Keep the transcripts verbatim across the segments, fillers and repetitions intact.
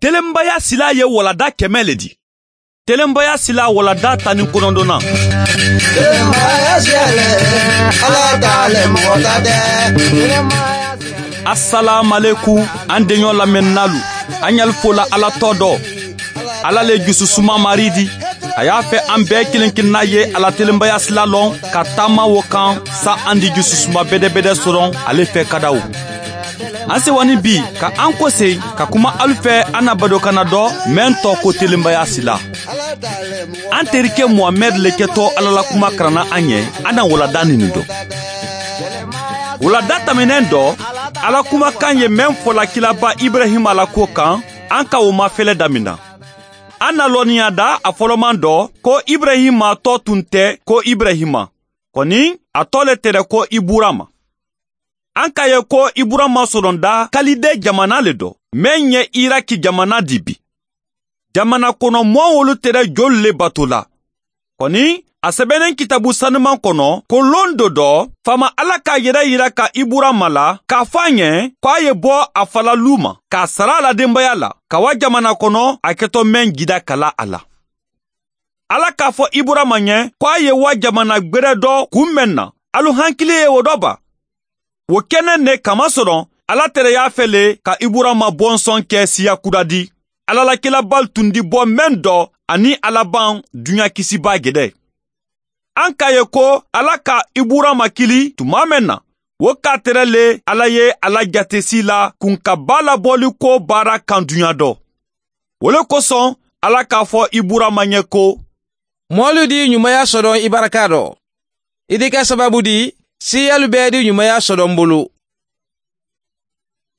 Telenbaya sila ye walada kɛmɛ le di. Telenbaya sila walada tan ni kɔnɔntɔnnan. Telenbaya siyale, Ala t'ale mɔgɔ ta tɛ. Asalaamalekum an deɲɔ lamɛnnalu. An y'al fola Ala tɔ dɔ. Ala le jususuma mari di. A y'a fɛ an bɛɛ kelen kelenna ye ala telenbaya sila lɔn ka taama wo kan sa an di jususuma bɛdɛbɛdɛ sɔrɔ ale fɛ kadaw. An sewani bi ka an kɔse ka kuma alu fɛ an na badokana dɔ mɛn tɔ ko telenbaya sila. An terikɛ Muhamɛd le kɛtɔ Ala la kuma karanna an ɲɛ an na walada nin dɔ. Walada tɛmɛnen dɔ Ala kumakan ye mɛn fɔla kilaba Ibrahima la ko kan an ka o mafɛlɛ damina. An na lɔnniya da a fɔlɔman dɔ ko Ibrahima tɔ tun tɛ ko Ibrahima kɔni a tɔ le tɛrɛ ko Iburama. An ka ye ko Iburama sɔrɔnda Kalide jamana le dɔ mɛn ye Iraki jamana di bi. Jamana kɔnɔ mɔɔ wolu tɛrɛ joli le bato la. Kɔni a sɛbɛnnen kitabu sanuman kɔnɔ ko lon dɔ dɔ faama Ala k'a yɛrɛ yira ka Iburama la k'a fɔ a ɲɛ k'a ye bɔ a falalu ma k'a sara a la denbaya la ka wa jamana kɔnɔ a kɛtɔ mɛn gida kala a la. Ala k'a fɔ Iburama ɲɛ k'a ye wa jamana gwɛrɛ dɔ kun mɛn na alu hankili ye o dɔ ba. O kɛnɛ ne kamasɔrɔ Ala tɛrɛ y'a fɛ le ka Iburama bɔnsɔn kɛ siya kura di. Ala la kilabal tun di bɔ mɛn dɔ ani alaban dunya kisiba gɛdɛ. An ka ye ko Ala ka Iburama kili tuma mɛn na o k'a tɛrɛ le Ala ye ala jatesi la kunkaba labɔli ko baara kan dunya dɔ. O le kosɔn Ala k'a fɔ Iburama ɲɛ ko mɔɔlu di ɲumanya sɔrɔ i baraka dɔ. I di kɛ sababu di siyalu bɛɛ di ɲumanya sɔrɔ n bolo.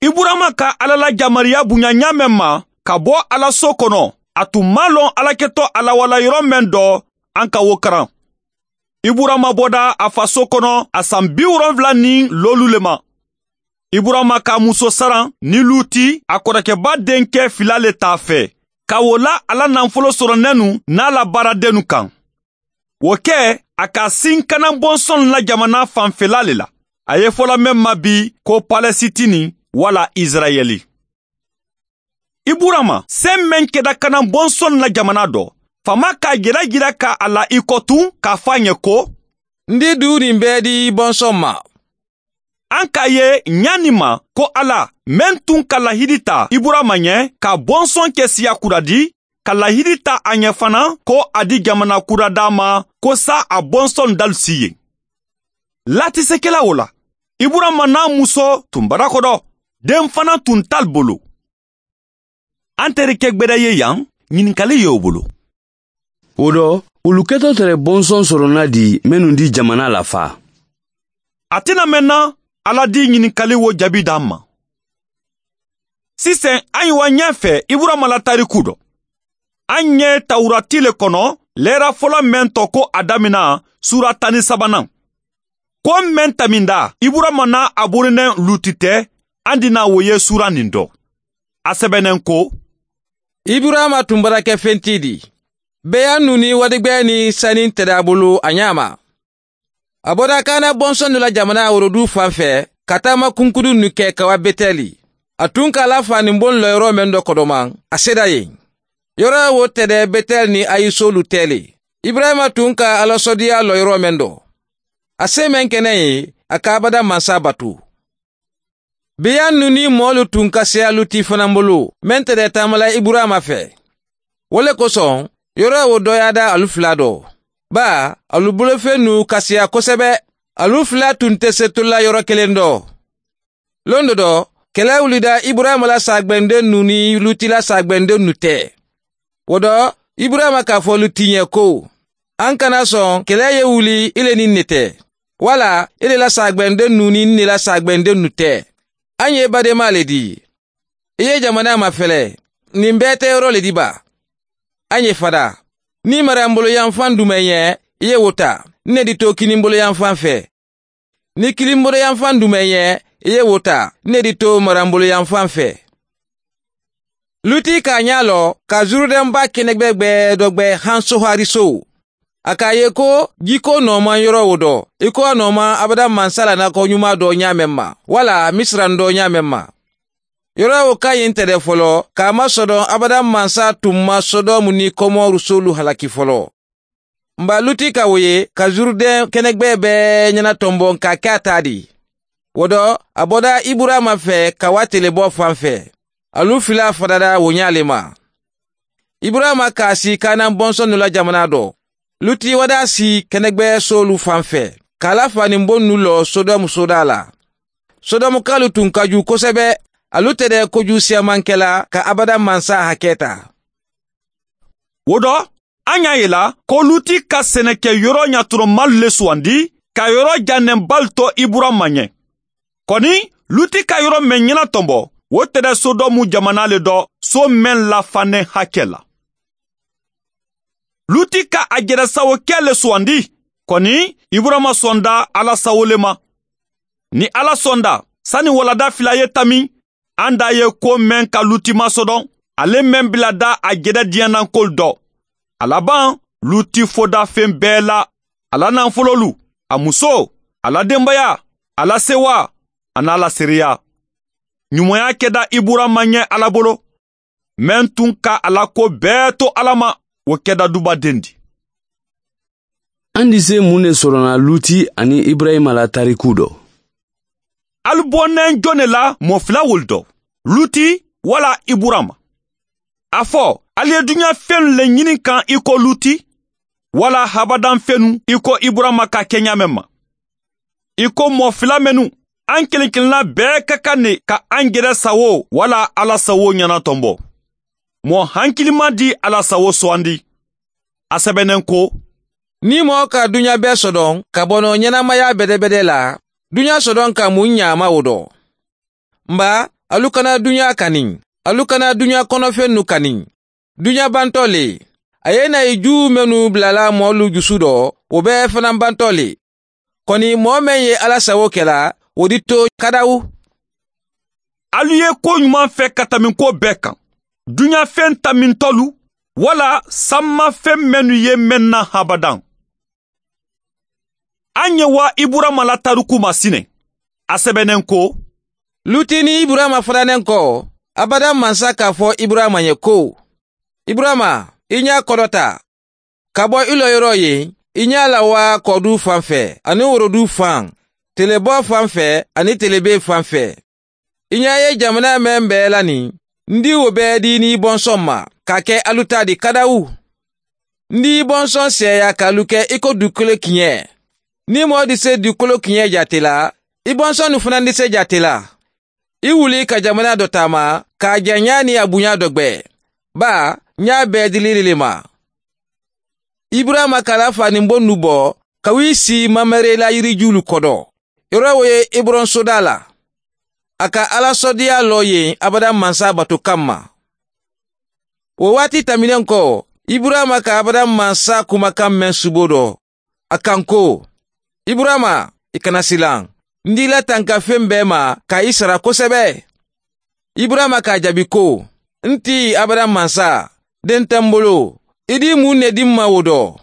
Iburama ka Ala la jamariya bonya ɲa mɛn ma ka bɔ Ala so kɔnɔ a tun ma lɔn Ala kɛtɔ ala wala yɔrɔ mɛn dɔ an ka wo karan. Iburama bɔda a faso kɔnɔ a san bi wolonfila ni lolu le ma. Iburama ka muso saran ni Luti a kɔrɔkɛba denkɛ fila le t'a fɛ ka wo la ala nafolo sɔrɔ nɛnu n'a la baaradennu kan. O kɛ a ka sin kana bɔnsɔn la jamana fanfɛla le la. A ye fɔla mɛn ma bi ko Palɛsitini wala Israɛli. Iburama sen mɛn kɛda kana bɔnsɔn la jamana dɔ. Fama k'a yɛrɛ jira ka a la i kɔ tun k'a fɔ a ɲɛ ko n di du nin bɛɛ di bɔnsɔn ma. An k'a ye ɲani ma ko Ala mɛn tun ka lahidi ta Iburama ɲɛ ka bɔnsɔn kɛ siya kura di ka lahidi ta a ɲɛ fana ko a di jamana kura d'a ma ko sa a bɔnsɔn dalu si ye. Latisekɛla o la Iburama n'a muso tun barakɔdɔ den fana tun t'al bolo. An terikɛ gbɛdɛ ye yan ɲininkali ye o bolo. O dɔ olu kɛtɔ tɛrɛ bɔnsɔn sɔrɔna di minnu di jamana la fa. A tɛna mɛn na Ala di ɲininkali wo jaabi d'an ma. Sisan an ye wa ɲɛfɛ Iburama la tariku dɔ. An ye Tawurati le kɔnɔ lɛra fɔlɔ mɛn tɔ ko a damina sura tan ni sabanan. Ko mɛn taminda Iburama n'a a borinɛ Luti tɛ an dina wo ye sura nin dɔ. A sɛbɛnnen ko Iburama tun bara kɛ fɛntigi di. Bɛɛ nu ni wadigbɛ ni sani tɛrɛ a bolo a ɲa ma. A bɔra Kana bɔnsɔn la jamana worodu fan fɛ ka taama kunkudu nu kɛ ka wa Betɛli. A tun k'a la fa nin bon lɔyɔrɔ mɛn dɔ kɔdɔman a sera yen. Yɔrɔ wo tɛrɛ Betɛli ni Ayisolu tɛle. Ibrahima tun ka alasɔdiya lɔyɔrɔ mɛn dɔ. A se mɛn kɛnɛ ye a ka abada mansa batu. Beya nu ni mɔɔlu tun ka seya Luti fana bolo mɛn tɛrɛ taamala Iburama fɛ. O le kosɔn yɔrɔ wo dɔ y'a da alu fila dɔ. Ba alu bolofɛn nu ka siya kosɛbɛ. Alu fila tun tɛ se tola yɔrɔ kelen dɔ. Lon dɔ dɔ kɛlɛ wulida Iburama la sagbɛnden nu ni Luti la sagbɛnden nu tɛ. O dɔ Iburama k'a fɔ Luti ɲɛ ko an kana sɔn kɛlɛ ye wuli ile ni ne tɛ. Wala ile la sagbɛnden nu ni ne la sagbɛnden nu tɛ. An ye badenma le di. I ye jamana mafɛlɛ. Nin bɛɛ tɛ yɔrɔ le di ba. An ye fada. Ni mara n bolo yanfan dumɛn ɲɛ i ye wo ta. Ne di to kini bolo yanfan fɛ. Ni kini bolo yanfan dumɛn ɲɛ i ye wo ta. Ne di to mara n bolo yanfan fɛ. Luti k'a ɲa lɔ ka Zurudɛnba kɛnɛgbɛgbɛ dɔ gbɛ han Sohariso. A k'a ye ko jiko nɔɔman yɔrɔ o dɔ i ko a nɔɔman abada mansa la nakɔ ɲuman dɔ ɲa mɛn ma wala Misiran dɔ ɲa mɛn ma. Yɔrɔ o ka ɲi tɛ dɛ fɔlɔ, k'a masɔrɔ abada mansa tun ma Sodɔmu ni Kɔmɔru solu halaki fɔlɔ. Nba Luti ka o ye ka Zurudɛn kɛnɛgbɛ bɛɛ ɲɛnatɔnbɔ ka kɛ a ta di. O dɔ, a bɔra Iburama fɛ ka wa telebɔ fan fɛ. Alu fila farala o ɲa le ma. Iburama k'a si Kanan bɔnsɔnnu la jamana dɔ. Luti wada si kɛnɛgbɛ solu fan fɛ, k'a la faninbon nu lɔ Sodɔmu soda la. Sodɔmukalu tun ka ju kosɛbɛ, alu tɛ dɛ koju siyaman kɛla ka abada mansa hakɛ ta. O dɔ, an y'a yela ko Luti ka sɛnɛkɛ yɔrɔ ɲatɔrɔmalu le sugandi ka yɔrɔ janɛnbalu to Iburama ɲɛ. Kɔni, Luti ka yɔrɔ mɛn ɲɛnatɔnbɔ, o tɛ dɛ Sodɔmu jamana le dɔ, so mɛn lafanɛ hakɛ la. Luti ka a jɛrɛsawo kɛ le sugandi, kɔni Iburama sɔnda Ala sawo le ma. Ni Ala sɔnda, sani walada fila ye tami, an da ye ko mɛn ka Luti masɔdɔn, ale mɛn bila da a jɛrɛ diɲɛnankol dɔ. A laban, Luti foda fɛn bɛɛ la, a la nafololu, a muso, a la denbaya, a la sewa, a n'a la seereya. Ɲumanya kɛda Iburama ɲɛ Ala bolo, mɛn tun ka a la ko bɛɛ to Ala ma, o kɛda dubaden di. An di se mun de sɔrɔna Luti ani Ibrahima la tariku dɔ? Alu bɔnɛn jɔn de la mɔ fila wolu dɔ, Luti wala Iburama. A fɔ, alu ye dunuya fɛnw le ɲini kan i ko Luti, wala habadan fɛnw i ko Iburama ka kɛ ɲa mɛn ma. I ko mɔ fila mɛnu, an kelen kelenna bɛɛ ka kan ne ka an yɛrɛ sawo wala Ala sawo ɲɛnatɔnbɔ. Mɔ hankilima di Ala sawo sugandi. A sɛbɛnnen ko, Ni mɔgɔ ka dunuya bɛɛ sɔdɔn ka bɔnɔ ɲɛnamaya bɛdɛbɛdɛ la, dunuya sɔdɔn ka mun ɲama o dɔ. Nba, alu kana dunuya kani, alu kana dunuya kɔnɔfɛn nu kani. Dunuya bantɔ le, a ye na i ju mɛnu bilala mɔlu jusu dɔ, o bɛɛ fana bantɔ le. Kɔni mɔɔ mɛn ye Ala sago kɛla, o di to kadawu. Alu ye ko ɲuman fɛ ka tɛmɛ ko bɛɛ kan. Dunuya fɛn tamintɔlu, wala sanmafɛn mɛnu ye mɛn na habadan. An ye wa Iburama la tariku ma sinɛ. A sɛbɛnnen ko, Luti ni Iburama faranen kɔ, abada mansa k'a fɔ Iburama ye ko, Iburama, i ɲa kɔrɔta, ka bɔ i lɔyɔrɔ ye, i ɲa la wa kɔdu fan fɛ, ani worodu fan, telebɔ fan fɛ, ani telebe fan fɛ. I ɲa ye jamana mɛn bɛɛ la nin, n di o bɛɛ di n'i bɔnsɔn ma, k'a kɛ alu ta di kadawu. N di bɔnsɔn sɛya k'alu kɛ i ko dugukolo kiɲɛ. Ni mɔɔ di se dugukolo kiɲɛ jate la, i bɔnsɔn nu fana di se jate la. I wuli ka jamana dɔ taama, k'a janya ni a bonya dɔ gbɛ. Ba, n y'a bɛɛ dili le ma. Iburama k'a fa nin bon nu bɔ, ka w'i si Mamre la yirijulu kɔdɔ. Yɔrɔ o ye Ebron soda la. A ka Ala sɔdiya lɔ yen abada mansa bato kanma. O waati tɛmɛnen kɔ, Iburama ka abada mansa kumakan mɛn subo dɔ. A kan ko, Iburama, i kana silan. N d'i la tanka fɛn bɛɛ ma ka i sara kosɛbɛ. Iburama k'a jaabi ko, n ti abada mansa, den tɛ n bolo, i di mun ne di n ma o dɔ.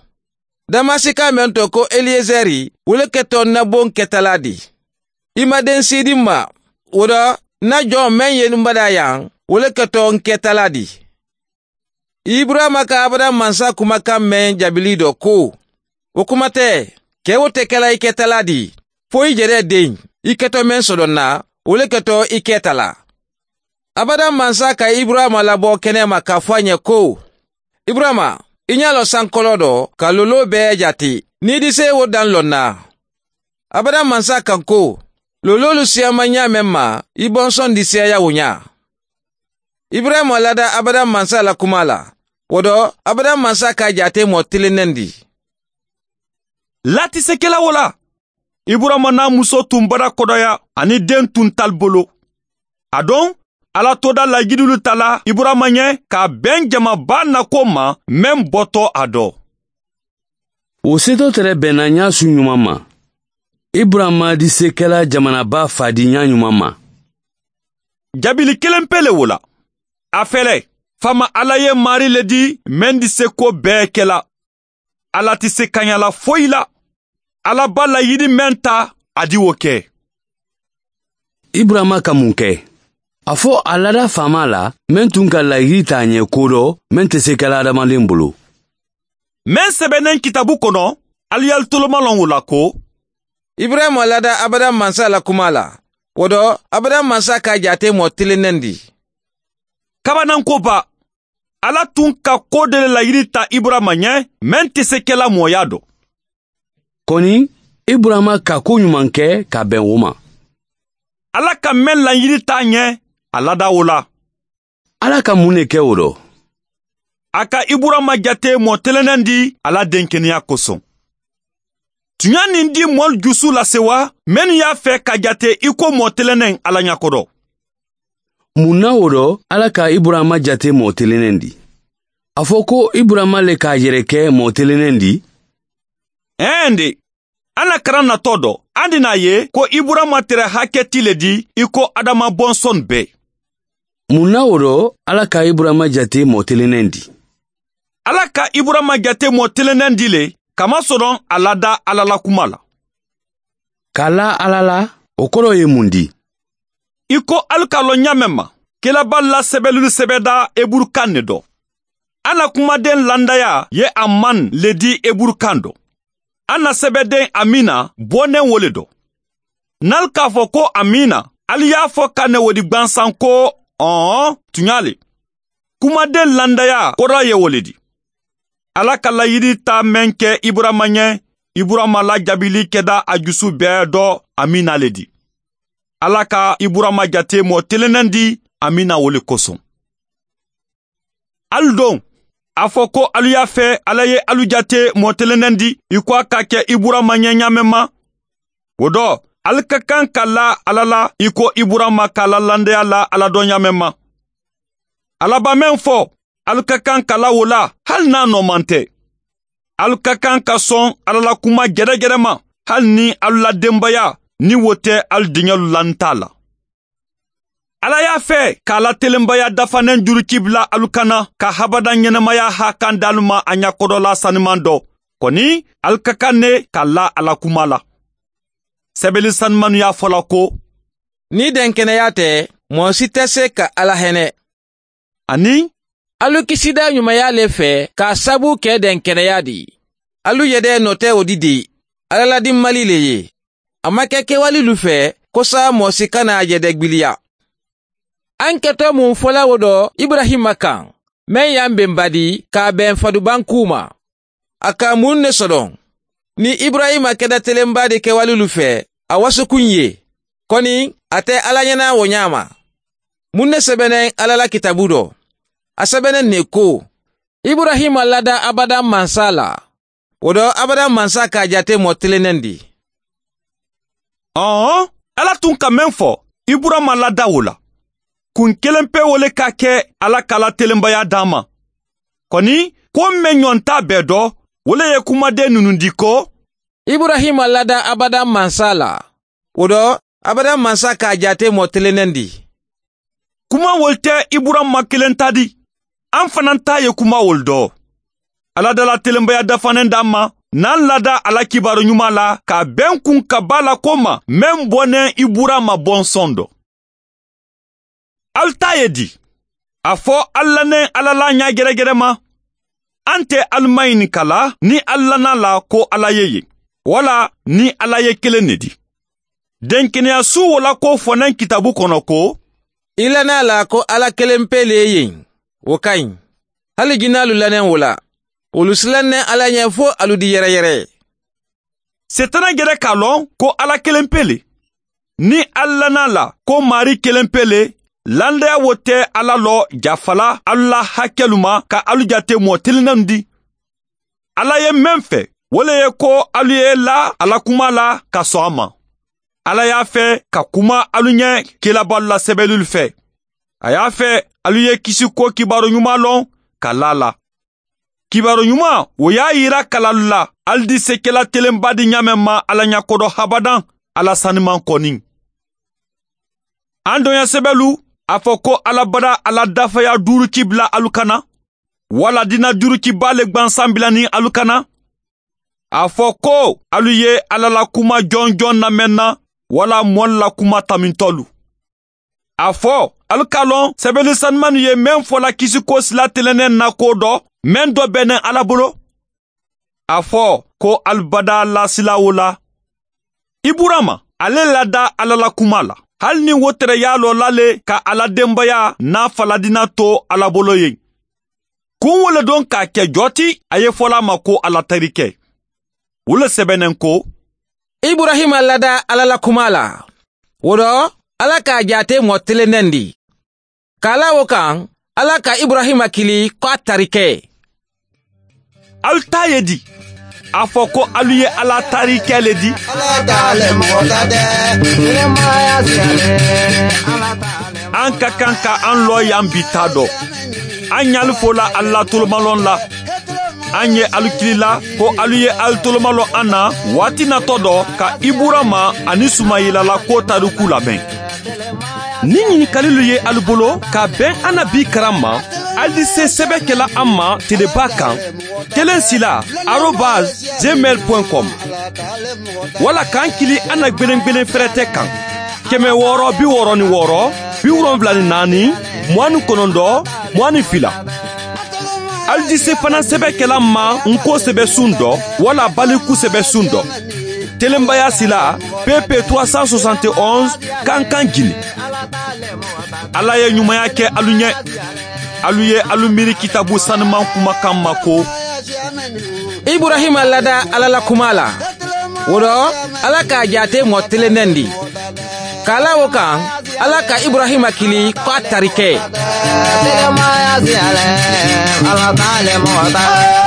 Damasika mɛn tɔ ko Eliezɛri, wele kɛtɔ na bon kɛtala di. I ma den si di n ma, o dɔ, na jɔn mɛn ye n bada yan, wele kɛtɔ n kɛtala di. Iburama ka abada mansa kumakan mɛn jaabili dɔ ko, o kuma tɛ, kɛ o tɛ kɛla i kɛtala di, fo i yɛrɛ den, i kɛtɔ mɛn sɔrɔ na, o le kɛtɔ i kɛtala. Abada mansa ka Iburama labɔ kɛnɛ ma k'a fɔ a ɲɛ ko, Iburama, i ɲa lɔ sankɔlɔ dɔ ka lolo bɛɛ jate, n'i di se o dan lɔ na. Abada mansa kan ko, lololu siyama ɲa mɛn ma, i bɔnsɔn di siyaya o ɲa. Iburama lada abada mansa la kuma la, o dɔ, abada mansa ka jate mɔ tilennen di. Latisekɛla o la, Iburama n'a muso tun bara kɔdɔya ani den tun t'ali bolo. A don, Ala toda layidulu tala Iburama ɲɛ k'a bɛn jamaba nako ma mɛn bɔtɔ a dɔ. O setɔ tɛrɛ bɛnna ɲa su ɲuman ma. Iburama di se kɛla jamanaba fa di ɲa ɲuman ma. Jabili kelen pe le o la. A fɛlɛ, fama Ala ye mari le di mɛn di se ko bɛɛ kɛla. Ala tɛ se kaɲa la foyi la. Ala ba layidi mɛn ta, a di o kɛ. Iburama ka mun kɛ? A fɔ a lada faama la mɛn tun ka layiri t'a ɲɛ ko dɔ mɛn tɛ se kɛla adamaden bolo. Mɛn sɛbɛnnen kitabu kɔnɔ, alu y'alu tolomalɔn o la ko Ibrahima lada abada mansa la kuma la. O dɔ abada mansa ka jate mɔ tilennen di. Kabanankoba, Ala tun ka ko de layiri ta Iburama ɲɛ mɛn tɛ se kɛla mɔya dɔ. Kɔni Iburama ka ko ɲuman kɛ ka bɛn o ma. Ala ka mɛn layiri t'a ɲɛ, a lada o la. Ala ka mun de kɛ o dɔ? A ka Iburama jate mɔ tilennen di ala denkɛnɛya kosɔn. Tunya nin di mɔlu jusu lase wa minnu y'a fɛ ka jate i ko mɔ tilennen Ala ɲɛkɔrɔ. Mun na o dɔ Ala ka Iburama jate mɔ tilennen di? A fɔ ko Iburama le k'a yɛrɛ kɛ mɔ tilennen di? Ɛn de, an na karan natɔ dɔ, an di n'a ye ko Iburama tɛrɛ hakɛti le di i ko Adama bɔnsɔn bɛɛ. Mun na o dɔ Ala ka Iburama jate mɔ tilennen di? Ala ka Iburama jate mɔ tilennen di le kamasɔrɔ a lada Ala la kuma la. K'a la Ala la, o kɔrɔ ye mun di? I ko alu k'a lɔn ɲa mɛn ma, kelaba la sɛbɛnlu sɛbɛda eburukan ne dɔ. An na kumaden landaya ye aman le di eburukan dɔ. An na sɛbɛden amina bɔnnen wo le dɔ. N'alu k'a fɔ ko amina, alu y'a fɔ ka ne wo di gwansan ko ɔn tunya le. Kumaden landaya kɔrɔ ye wo le di. Ala ka layiri ta mɛn kɛ Iburama ɲɛ, Iburama la jaabili kɛda a jusu bɛɛ dɔ amina le di. Ala ka Iburama jate mɔ tilennen di amina wo le kosɔn. Alu don, a fɔ ko alu y'a fɛ Ala ye alu jate mɔ tilennen di i ko a ka kɛ Iburama ɲɛ ɲa mɛn ma. O dɔ, alu ka kan ka la Ala la i ko Iburama k'a la landaya la Ala dɔ ɲa mɛn ma. Ala ba mɛn fɔ, alu ka kan ka la o la hali n'a nɔman tɛ. Alu ka kan ka sɔn Ala la kuma gɛrɛgɛrɛ ma hali ni alu la denbaya ni wo tɛ alu denkɛlu la n t'a la. Ala y'a fɛ k'a la telenbaya dafanen juruci bila alu kana ka habada ɲɛnamaya hakan d'alu ma a ɲakɔrɔla sanuman dɔ. Kɔni alu ka kan ne ka la Ala kuma la. Sɛbɛnni sanumanu y'a fɔla ko Ni denkɛnɛya tɛ, mɔgɔ si tɛ se ka Ala hɛnɛ. Ani Alu kisida ɲumanya le fɛ k'a sabu kɛ denkɛnɛya di. Alu yɛrɛ nɔ tɛ o di di. Ala ladi mali le ye. A ma kɛ kɛwalelu fɛ ko sa mɔgɔ si kana a yɛrɛ gbiliya. An kɛtɔ mun fɔla o dɔ Ibrahima kan, mɛn y'an bɛnba di k'a bɛn fadubanku ma. A ka mun ne sɔrɔ? Ni Ibrahima kɛda telenba de kɛwalelu fɛ, a wasukun ye. Kɔni a tɛ Ala ɲɛna o ɲa ma. Mun ne sɛbɛnnen Ala la kitabu dɔ? A sɛbɛnnen ne ko, Ibrahima lada abada mansa la. O dɔ abada mansa k'a jate mɔ tilennen di. Ɔn, Ala tun ka mɛn fɔ, Iburama lada o la. Kun kelen pe wo le ka kɛ Ala k'a la telenbaya d'an ma. Kɔni, ko mɛn ɲɔn t'a bɛɛ dɔ, o le ye kumaden ninnu di ko Ibrahima lada abada mansa la. O dɔ abada mansa k'a jate mɔ tilennen di. Kuma wol tɛ Iburama kelen ta di. An fana ta ye kuma wol dɔ. Ala dala telenbaya dafanen d'an ma, n'an lada Ala kibaru ɲuman la ka bɛn kun ka ba la ko ma mɛn bɔnnen Iburama bɔnsɔn dɔ. Alu ta ye di? A fɔ alu lannen Ala la ɲa gɛrɛgɛrɛ ma. An tɛ alu maɲininka la ni alu lana la ko Ala ye yen, wala ni Ala ye kelen de di. Denkɛnɛyasu wo la ko fɔnɛn kitabu kɔnɔ ko I lana la ko Ala kelen pe le ye yen, o ka ɲi. Hali jinɛlu lannen o la, olu silannen Ala ɲɛ fo alu di yɛrɛyɛrɛ. Setana gɛrɛ k'a lɔn ko Ala kelen pe le. Ni alu lana la ko Mari kelen pe le, landaya wo tɛ Ala lɔ jafala alu la hakɛlu ma ka alu jate mɔ telennenw di. Ala ye mɛn fɛ, o le ye ko alu ye la Ala kuma la ka sɔn a ma. Ala y'a fɛ ka kuma alu ɲɛ kelabalu la sɛbɛnlu fɛ. A y'a fɛ alu ye kisi ko kibaru ɲuman lɔn ka la la. Kibaru ɲuman o y'a yira kalalu la alu di se kɛla telenba di ɲa mɛn ma Ala ɲakɔdɔ habadan Ala sanuman kɔni. An dɔnya sɛbɛnlu a fɔ ko Ala bada Ala dafaya duuru ci bila alu kana, wala dina duuru ci ba le gwansan bila ni alu kana. A fɔ ko alu ye Ala la kuma jɔnjɔn lamɛn na, wala mɔli la kuma tamintɔlu. A fɔ Alu k'a lɔn sɛbɛnni sanumanu ye mɛn fɔla kisiko sila telenen na ko dɔ mɛn dɔ bɛnnen Ala bolo. A fɔ ko alibada lasila o la. Iburama ale lada Ala la kuma la. Hali ni wo tɛrɛ y'a lɔ lale ka Ala denbaya n'a faladina to Ala bolo ye. Kun wole don k'a kɛ jɔti a ye fɔla ma ko Ala terikɛ. O le sɛbɛnnen ko Iburahima lada Ala la kuma la. O rɔ Ala k'a jate mɔgɔ telennen di. K'a la o kan Ala ka Iburahima kili ko a tarikɛ. Alu ta ye di. A fɔ ko alu ye Ala tarikɛ le di. Ala t'ale mɔgɔ ta dɛ. Ɲɛnɛmaya siyalen. Ala t'ale. An ka kan ka an lɔ yan bi ta dɔ. An ɲali fola Ala tolomalɔn la. An ye alu kili la ko alu ye alu tolomalɔ an na waati natɔ dɔ ka Iburama ani Sumayila la ko tariku lamɛn. Ni ɲininkalilu ye alu bolo ka bɛn an na bi karan ma, alu di se sɛbɛn kɛla an ma teleba kan kelen sila arobase gmail point com wala k'an kili an na gwelen-gwelen fɛrɛtɛ kan kɛmɛ wɔɔrɔ bi wɔɔrɔ ni wɔɔrɔ bi wolonfila ni naani mugan ni kɔnɔntɔn mugan ni fila. Alu di se fana sɛbɛn kɛla ma nko sɛbɛ sun dɔ wala baliku sɛbɛ sun dɔ. Telenbaya sila P P trois cent soixante et onze Kankan Guinée. Ala ye ɲumanya kɛ alu ɲɛ. Alu ye alu miiri kitabu sanuman kumakan ma ko Iburahima lada Ala la kuma la. O rɔ Ala k'a jate mɔgɔ telennen di. K'a la o kan Ala ka Iburahima kili ko a tarikɛ. Ɲɛnɛmaya siyalen. Ala t'ale mɔgɔ ta.